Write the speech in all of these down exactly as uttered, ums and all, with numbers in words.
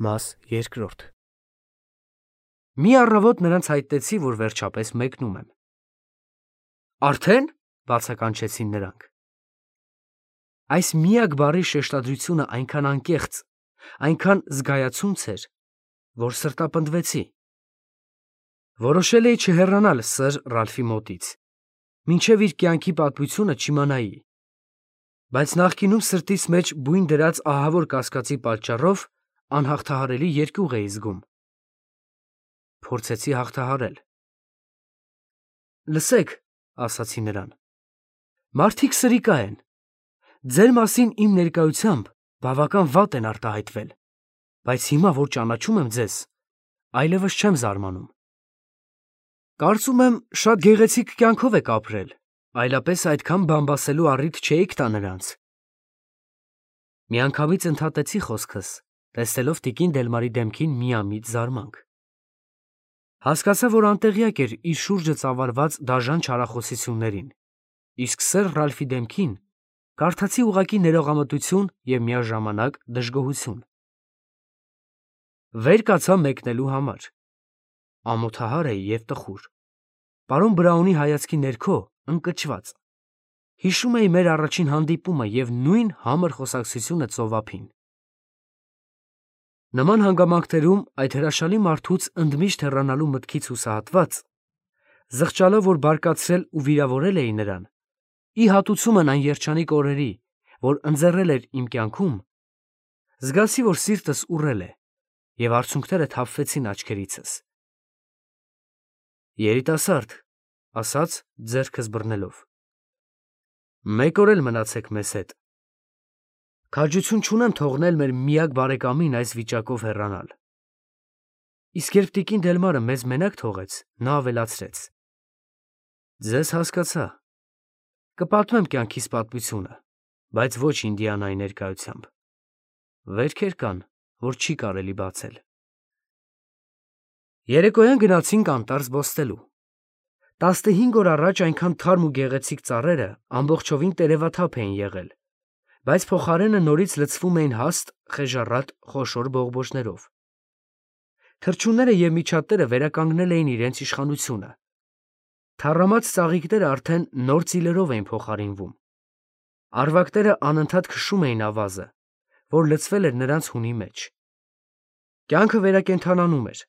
Մաս երկրորդ Մի առավոտ նրանց հայտնեցի, որ վերջապես մեկնում եմ։ Արդեն, բացականչեցին նրանք։ Այս միակ բառի շեշտադրությունը այնքան անկեղծ, այնքան զգայացունց էր, որ սրտապնդվեցի։ Որոշել էի չհեռանալ սըր Ռալֆի մոտից, մինչև իր կյանքի պատմությունը չիմանայի, բայց նախկինում սրտիս մեջ բույն դրած ահավոր կասկածի պատճառով անհաղթահարելի երկյուղ էի զգում։ Փորձեցի հաղթահարել։ Լսեք, ասացի նրան, մարդիկ սրիկա են, ձեր մասին իմ ներկայությամբ բավական վատ են արտահայտվել, բայց հիմա, որ ճանաչում եմ ձեզ, այլևս չեմ զարմանում։ Կարծում եմ, շատ գեղեցիկ կյանքով եք ապրել, այլապես այդքան բամբասելու առիթ չէիք տա նրանց։ Միանգամից ընդհատեցի խոսքս, տեսնելով տիկին Դելմարի դեմքին միամիտ զարմանք։ Հասկացա, որ անտեղյակ էր իր շուրջը ծավալված դաժան չարախոսություններին, իսկ սըր Ռալֆի դեմքին կարդացի ուղղակի ներողամտություն և միաժամանակ դժգոհություն։ Վեր կացա մեկնելու համար։ Ամոթահար էի և տխուր, պարոն Բրաունի հայացքի ներքո ընկճված։ Հիշում էի մեր առաջին հանդիպումը և նույն համր խոսակցությունը ծովափին։ Նման հանգամանքներում այդ հրաշալի մարդուց ընդմիշտ հեռանալու մտքից հուսահատված, զղջալով, որ բարկացրել ու վիրավորել էի նրան, ի հատուցումն այն երջանիկ օրերի, որ ընձեռել էր իմ կյանքում, զգացի, որ սիրտս ուռել է, և արցունքները թափվեցին աչքերիցս։ Երիտասարդ, ասաց, ձեռքս բռնելով, մեկ օր էլ մնացեք մեզ հետ։ Քաջություն չունեմ թողնել մեր միակ բարեկամին այս վիճակով հեռանալ։ Իսկ երբ տիկին Դելմարը մեզ մենակ թողեց, նա ավելացրեց. Ձեզ հասկացա, կպատմեմ կյանքիս պատմությունը, բայց ոչ Ինդիանայի ներկայությամբ։ Վերքեր կան, որ չի կարելի բացել։ Երեկոյան գնացինք անտառ զբոսնելու։ Տասնհինգ օր առաջ այնքան թարմ ու գեղեցիկ ծառերը ամբողջովին տերևաթափ էին եղել, բայց փոխարենը նորից լցվում էին հաստ, խեժառատ, խոշոր բողբոջներով։ Թռչունները և միջատները վերականգնել էին իրենց իշխանությունը։ Թառամած ծաղիկները արդեն նոր ծիլերով էին փոխարինվում։ Արվակները անընդհատ քշում էին ավազը, որ լցվել էր նրանց հունի մեջ։ Կյանքը վերակենդանանում էր,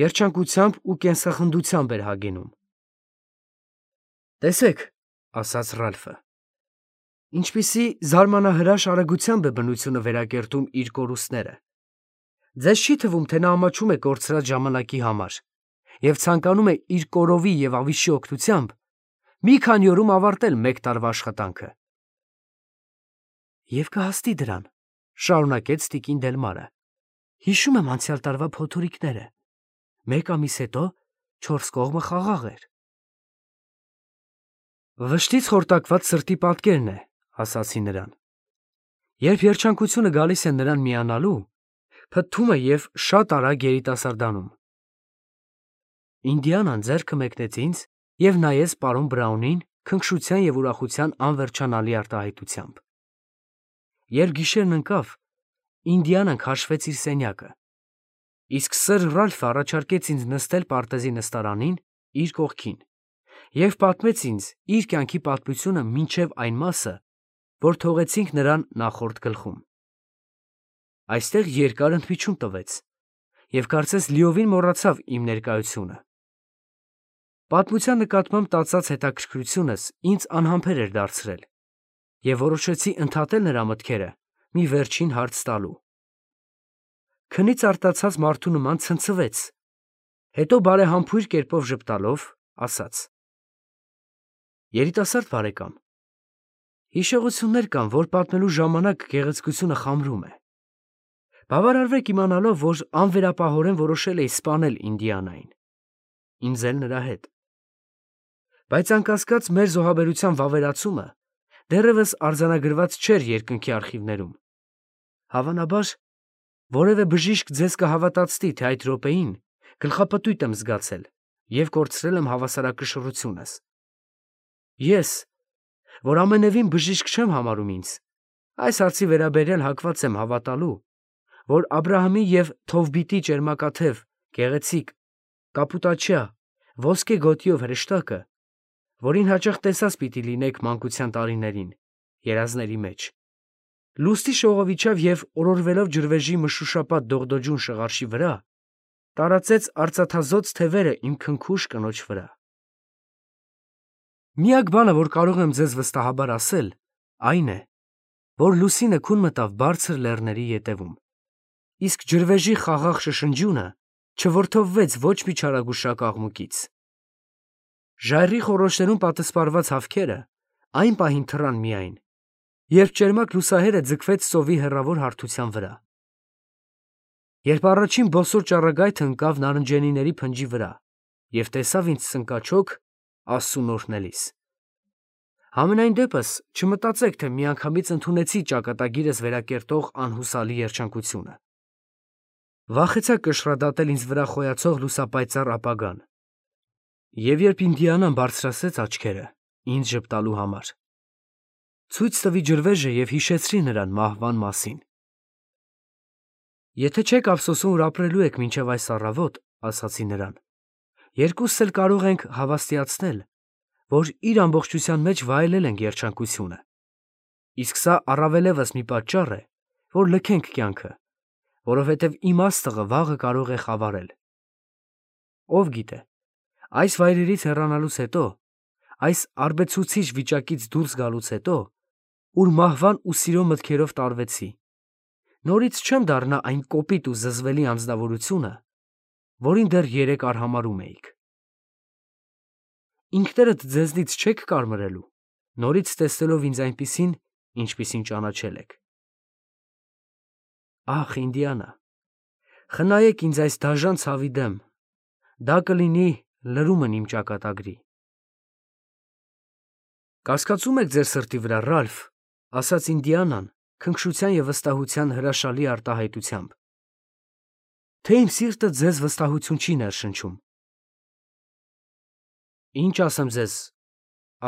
երջանկությամբ ու կենսախնդությամբ էր հագենում։ Տեսեք, ասաց Ռալֆը, ինչպիսի զարմանահրաշ արագությամբ է բնությունը վերակերտում իր կորուստները։ Ձեզ չի թվում, թե նա ամաչում է կորցրած ժամանակի համար և ցանկանում է իր կորովի և ավիշի օգնությամբ մի քանի օրում ավարտել մեկ տարվա աշխատանքը։ Եվ կհասնի դրան, շարունակեց տիկին Դելմարը, հիշում եմ անցյալ տարվա փոթորիկները, մեկ ամիս հետո չորս կողմը խաղաղ էր։ Վշտից խորտակված սրտի պատկերն է, ասացի նրան։ Երբ երջանկությունը գալիս է նրան միանալու, փթթում է և շատ արագ երիտասարդանում։ Ինդիանան ձեռքը մեկնեց ինձ և նայեց պարոն Բրաունին քնքշության և ուրախության անվերջանալի արտահայտությամբ։ Երբ գիշերն ընկավ, Ինդիանան քաշվեց իր սենյակը, իսկ սըր Ռալֆը առաջարկեց ինձ նստել պարտեզի նստարանին իր կողքին և պատմեց ինձ իր կյանքի պատմությունը մինչև այն մասը, որ թողեցինք նրան նախորդ գլխում։ Այստեղ երկար ընդմիջում տվեց և կարծես լիովին մոռացավ իմ ներկայությունը։ Պատմության նկատմամբ տածած հետաքրքրությունս ինձ անհամբեր էր դարձրել, և որոշեցի ընդհատել նրա մտքերը մի վերջին հարց տալու։ Քնից արտացած մարդու նման ցնցվեց, հետո բարեհամբույր կերպով ժպտալով ասաց. Երիտասարդ բարեկամ, հիշողություններ կան, որ պատմելու ժամանակ գեղեցկությունը խամրում է։ Բավարարվեք իմանալով, որ անվերապահորեն որոշել էի սպանել Ինդիանային, ինձ էլ նրա հետ։ Բայց անկասկած մեր զոհաբերության վավերացումը դեռևս արձանագրված չէր երկնքի արխիվներում։ Հավանաբար, որևէ բժիշկ ձեզ կհավատացնի, թե այդ րոպեին գլխապտույտ եմ զգացել և կորցրել եմ հավասարակշռությունս։ Ես, որ ամենևին բժիշկ չեմ համարում ինձ, այս հարցի վերաբերյալ հակված եմ հավատալու, որ Աբրահամի և Թովբիտի ճերմակաթև, գեղեցիկ, կապուտաչյա, ոսկե գոտիով հրեշտակը, որին հաճախ տեսած պիտի լինեք մանկության տարիներին, երազների մեջ, լուստի շողով իջավ և օրորվելով ջրվեժի մշուշապատ դողդոջուն շղարշի վրա, տարածեց արծաթազօծ թևերը իմ քնքուշ կնոջ վրա։ Միակ բանը, որ կարող եմ ձեզ վստահաբար ասել, այն է, որ լուսինը քուն մտավ բարձր լեռների ետևում, իսկ ջրվեժի խաղաղ շշնջյունը չվրդովվեց ոչ մի չարագուշակ աղմուկից։ Ժայռի խոռոչներում պատսպարված հավքերը այն պահին թռան միայն, երբ ճերմակ լուսահերը ձգվեց ծովի հեռավոր հարթության վրա, երբ առաջին բոսոր ճառագայթը ընկավ նարնջենիների փնջի վրա և տեսավ ինձ սնկաչոք Աստծուն օրհնելիս։ Համենայն դեպս չմտածեք, թե միանգամից ընդունեցի ճակատագիրս վերակերտող անհուսալի երջանկությունը։ Վախեցա կշռադատել ինձ վրա խոյացող լուսապայծառ ապագան, և երբ Ինդիանան բարձրացրեց աչքերը ինձ ժպտալու համար, ցույց տվի ջրվեժը և հիշեցրի նրան մահվան մասին։ Եթե չեք ափսոսում, որ ապրելու եք մինչև այս առավոտ, ասացի նրան, երկուսս էլ կարող ենք հավաստիացնել, որ իր ամբողջության մեջ վայելել ենք երջանկությունը, իսկ սա առավելևս մի պատճառ է, որ լքենք կյանքը, որովհետև իմաստը վաղը կարող է խավարել։ Ով գիտե, այս վայրերից հեռանալուց հետո, այս արբեցուցիչ վիճակից դուրս գալուց հետո, ուր մահվան ու սիրո մտքերով տարվեցի, նորից չեմ դառնա այն կոպիտ ու զզվելի անձնավորությունը, որին դեռ երեկ արհամարհում էիք։ Ինքներդ ձեզնից չեք կարմրելու, նորից տեսնելով ինձ այնպիսին, ինչպիսին ճանաչել եք։ Ախ, Ինդիանա, խնայեք ինձ այս դաժան ցավի դեմ, դա կլինի լրումն իմ ճակատագրի։ Կասկածում եք ձեր սրտի վրա, Ռալֆ, ասաց Ինդիանան քնքշության և վստահության հրաշալի արտահայտությամբ, թե իմ սիրտը ձեզ վստահություն չի ներշնչում։ Ինչ ասեմ ձեզ,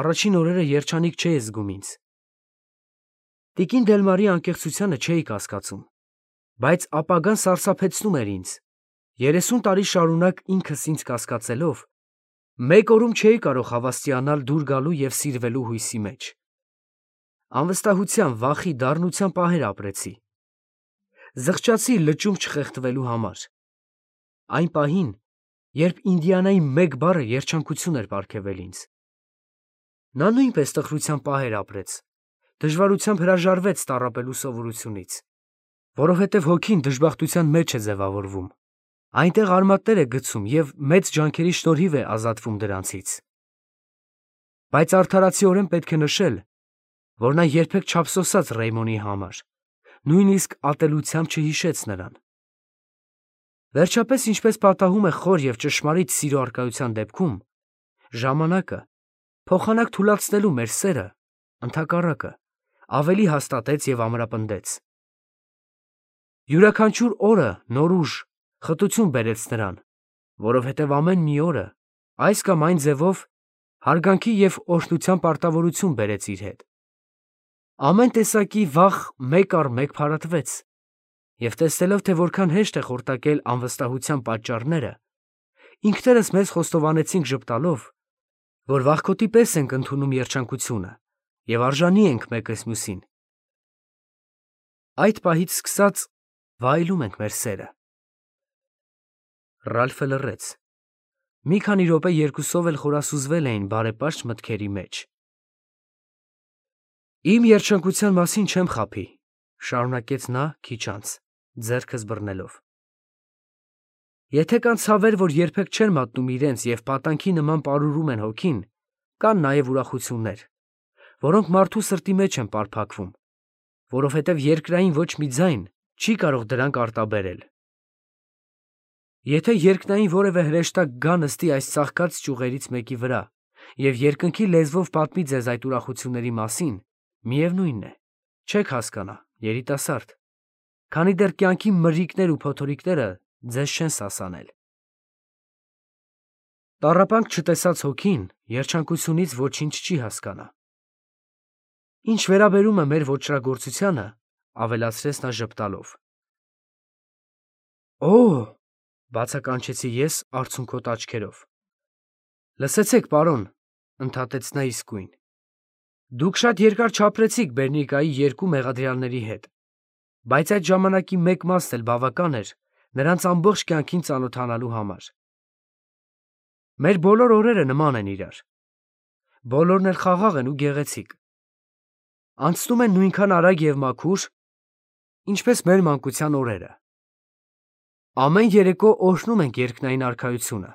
առաջին օրերը երջանիկ չէի զգում ինձ։ Տիկին Դելմարի անկեղծությանը չէի կասկածում, բայց ապագան սարսափեցնում էր ինձ, երեսուն տարի շարունակ ինքս ինձ կասկածելով, մեկ օրում չէի կարող հավաստիանալ դուր գալու և սիրվելու հույսի մեջ։ Անվստահության, վախի, դառնության պահեր ապրեցի։ Զղջացի լճում չխեղդվելու համար։ Այն պահին, երբ Ինդիանայի մեկ բառը երջանկություն էր պարգևել ինձ։ Նա նույնպես տխրության պահեր ապրեց, դժվարությամբ հրաժարվեց տառապելու սովորությունից, որովհետև հոգին դժբախտության մեջ է ձևավորվում, այնտեղ արմատներ է գցում և մեծ ջանքերի շնորհիվ է ազատվում դրանցից։ Բայց արդարացիորեն պետք է նշել, որ նա երբեք չափսոսաց Ռեյմոնի համար, նույնիսկ ատելությամբ չհիշեց նրան։ Վերջապես, ինչպես պատահում է խոր և ճշմարիտ սիրո առկայության դեպքում, ժամանակը, փոխանակ թուլացնելու մեր սերը, ընդհակառակը, ավելի հաստատեց և ամրապնդեց։ Յուրաքանչյուր օրը նոր ուժ, խտություն բերեց նրան, որովհետև ամեն մի օրը, այս կամ այն ձևով, հարգանքի և օրհնության պարտավորություն բերեց իր հետ։ Ամեն տեսակի վախ մեկ առ մեկ փարատվեց, և տեսնելով, թե որքան հեշտ է խորտակել անվստահության պատճառները, ինքներս մեզ խոստովանեցինք ժպտալով, որ վախկոտի պես ենք ընդունում երջանկությունը և արժանի ենք մեկս մյուսին։ Այդ պահից սկսած վայելում ենք մեր սերը։ Ռալֆը լռեց։ Մի քանի րոպե երկուսով էլ խորասուզվել էին բարեպաշտ մտքերի մեջ։ Իմ երջանկության մասին չեմ խաբի, շարունակեց նա քիչ անց, ձեռքս բռնելով։ Եթե կան ցավեր, որ երբեք չեն մատնում իրենց և պատանքի նման պարուրում են հոգին, կան նաև ուրախություններ, որոնք մարդու սրտի մեջ են պարփակվում, որովհետև երկրային ոչ մի ձայն չի կարող դրանք արտաբերել։ Եթե երկնային որևէ հրեշտակ գա նստի այս ծաղկած ճյուղերից մեկի վրա և երկնքի լեզվով պատմի ձեզ այդ ուրախությունների մասին, միևնույն է, չեք հասկանա, երիտասարդ, քանի դեռ կյանքի մրրիկներ ու փոթորիկները ձեզ չեն սասանել։ Տառապանք չտեսած հոգին երջանկությունից ոչինչ չի հասկանա։ Ինչ վերաբերում է մեր ոճրագործությանը, ավելացրեց նա ժպտալով, Օ՜, բացականչեցի ես արցունքոտ աչքերով։ Լսեցեք, պարոն, ընդհատեց նա իսկույն։ Դուք շատ երկար չապրեցիք Բերնիկայի երկու մեղադրյալների հետ, բայց այդ ժամանակի մեկ մասն էլ բավական էր նրանց ամբողջ կյանքին ծանոթանալու համար։ Մեր բոլոր օրերը նման են իրար։ Բոլորն էլ խաղաղ են ու գեղեցիկ։ Անցնում են նույնքան արագ և մաքուր, ինչպես մեր մանկության օրերը։ Ամեն երեկո օրհնում ենք երկնային արքայությունը։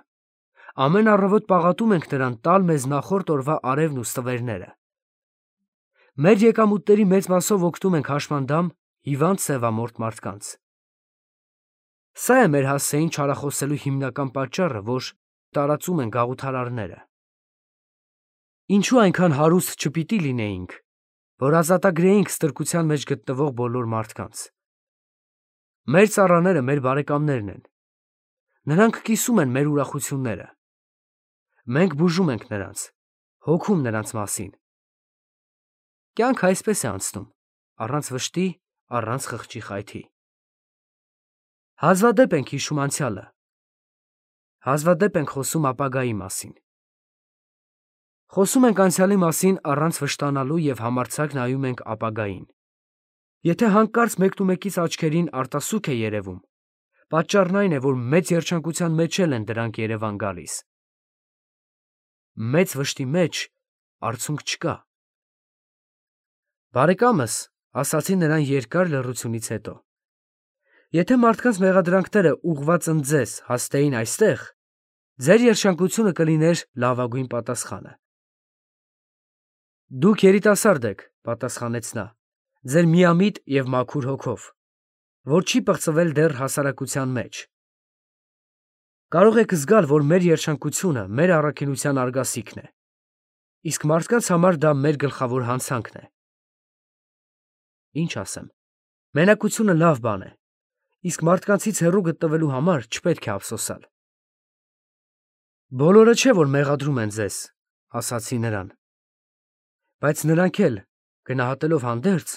Ամեն առավոտ պաղատում ենք նրան տալ մեզ նախորդ օրվա արևն ու ստվերները։ Մեր եկամուտների մեծ մասով օգնում ենք հաշմանդամ հիվանդ սևամորթ մարդկանց։ Սա է մեր հասցեին չարախոսելու հիմնական պատճառը, որ տարածում են գաղութարարները։ Ինչու այնքան հարուստ չպիտի լինեինք, որ ազատագրեինք ստրկության մեջ գտնվող բոլոր մարդկանց։ Մեր ծառաները մեր բարեկամներն են։ Նրանք կիսում են մեր ուրախությունները։ Մենք բուժում ենք նրանց, հոգում նրանց մասին։ Կյանքը այսպես է անցնում, առանց վշտի, առանց խղճի խայթի։ Հազվադեպ ենք հիշում անցյալը։ Հազվադեպ ենք խոսում ապագայի մասին։ Խոսում ենք անցյալի մասին առանց վշտանալու և համարձակ նայում ենք ապագային։ Եթե հանկարծ մեկնումեկից աչքերին արտասուք է երևում, պատճառն այն է, որ մեծ երջանկության մեջ էլ են դրանք երևան գալիս։ Մեծ վշտի մեջ արցունք չկա։ Բարեկամս, ասացի նրան երկար լռությունից հետո, եթե մարդկանց մեղադրանքները ուղղված ընդձեզ հասնեին այստեղ, ձեր երջանկությունը կլիներ լավագույն պատասխանը։ Դուք երիտասարդ եք, պատասխանեց նա, ձեր միամիտ և մաքուր հոգով, որ չի պղծվել դեռ հասարակության մեջ։ Կարող եք զգալ, որ մեր երջանկությունը մեր առաքինության արգասիքն է, իսկ մարդկանց համար դա մեր գլխավոր հանցանքն է։ Ինչ ասեմ, մենակությունը լավ բան է, իսկ մարդկանցից հեռու գտնվելու համար չպետք է ափսոսալ։ Բոլորը չէ, որ մեղադրում են ձեզ, ասացի նրան, բայց նրանք էլ, գնահատելով հանդերձ,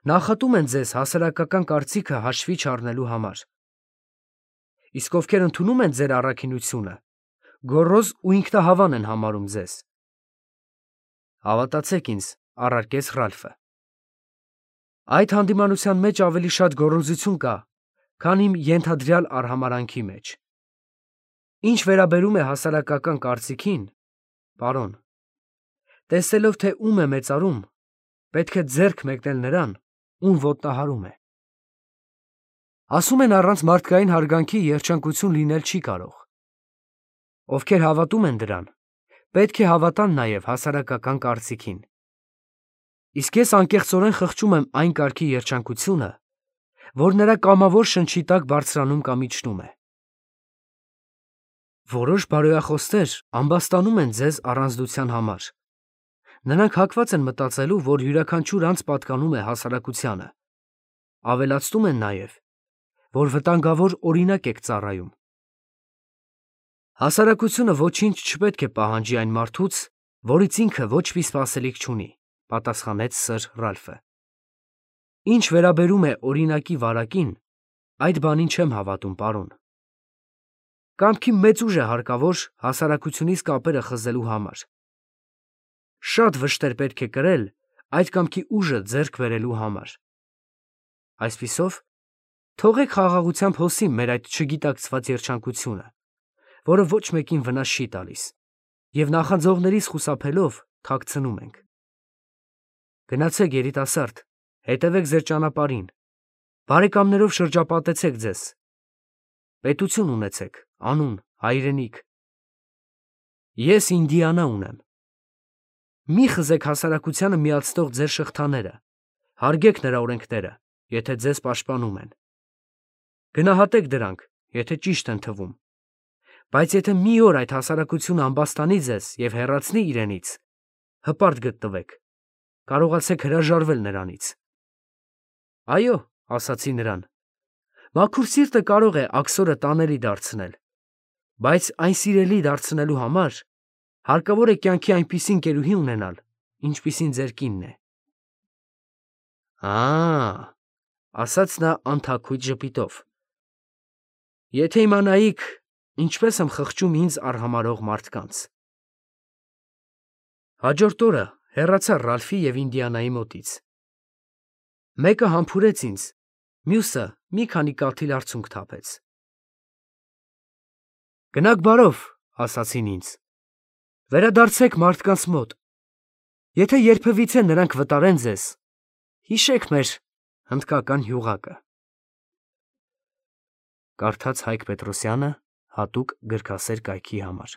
նախատում են ձեզ հասարակական կարծիքը հաշվի չառնելու համար։ Իսկ ովքեր ընդունում են ձեր առաքինությունը, գոռոզ ու ինքնահավան են համարում ձեզ։ Հավատացեք ինձ, առարկեց Ռալֆը։ Այդ հանդիմանության մեջ ավելի շատ գոռոզություն կա, քան իմ ենթադրյալ արհամարհանքի մեջ։ Ինչ վերաբերում է հասարակական կարծիքին, պարոն, տեսնելով, թե ում է մեծարում, պետք է ձեռք մեկնել նրան, ում ոտնահարում է։ Ասում են առանց մարդկային հարգանքի երջանկություն լինել չի կարող։ Ովքեր հավատում են դրան, պետք է հավատան նաև հասարակական կարծիքին։ Իսկ ես անկեղծորեն խղճում եմ այն կարգի երջանկությունը, որ նրա կամավոր շնչի տակ բարձրանում կամ իջնում է։ Որոշ բարոյախոսներ ամբաստանում են ձեզ առանձնության համար։ Նրանք հակված են մտածելու, որ յուրաքանչյուր անձ պատկանում է հասարակությանը։ Ավելացնում են նաև, որ վտանգավոր օրինակ եք ծառայում։ Հասարակությունը ոչինչ չպետք է պահանջի այն մարդուց, որից ինքը ոչ մի սպասելիք չունի, պատասխանեց սըր Ռալֆը։ Ինչ վերաբերում է օրինակի վարակին, այդ բանին չեմ հավատում, պարոն։ Կամքի մեծ ուժ է հարկավոր հասարակությունից կապերը խզելու համար։ Շատ վշտեր պետք է կրել այդ կամքի ուժը ձեռք բերելու համար։ Այսպիսով, թողեք խաղաղությամբ հոսի մեր այդ չգիտակցված երջանկությունը, որը ոչ մեկին վնաս չի տալիս, և նախանձողներից խուսափելով թաքցնում ենք։ Գնացեք, երիտասարդ, հետևեք ձեր ճանապարհին, բարեկամներով շրջապատեցեք ձեզ, պետություն ունեցեք, անուն, հայրենիք։ Ես Ինդիանա ունեմ։ Մի խզեք հասարակությանը միացնող ձեր շղթաները, հարգեք նրա օրենքները, եթե ձեզ պաշտպանում են։ Գնահատեք դրանք, եթե ճիշտ են թվում, բայց եթե մի օր այդ հասարակությունը ամբաստանի ձեզ և հեռացնի իրենից, հպարտ գտնվեք, կարողացեք հրաժարվել նրանից։ Այո, ասացի նրան, մաքուր սիրտը կարող է աքսորը տանելի դարձնել, բայց այն սիրելի դարձնելու համար հարկավոր է կյանքի այնպիսի ընկերուհի ունենալ, ինչպիսին ձեր կինն է։ Ա, ասաց նա անթաքույց ժպիտով։ Եթե իմանայիք, ինչպես եմ խղճում ինձ արհամարհող մարդկանց։ Հաջորդ օրը հեռացա Ռալֆի և Ինդիանայի մոտից։ Մեկը համբուրեց ինձ, մյուսը մի քանի կաթիլ արցունք թափեց։ «Գնաք բարով», ասացին ինձ, «վերադարձեք մարդկանց մոտ, եթե երբևիցե նրանք վտարեն ձեզ, հիշեք մեր հնդկական հյուղակը»։ Կարդաց Հայկ Պետրոսյանը հատուկ գրքասեր կայքի համար։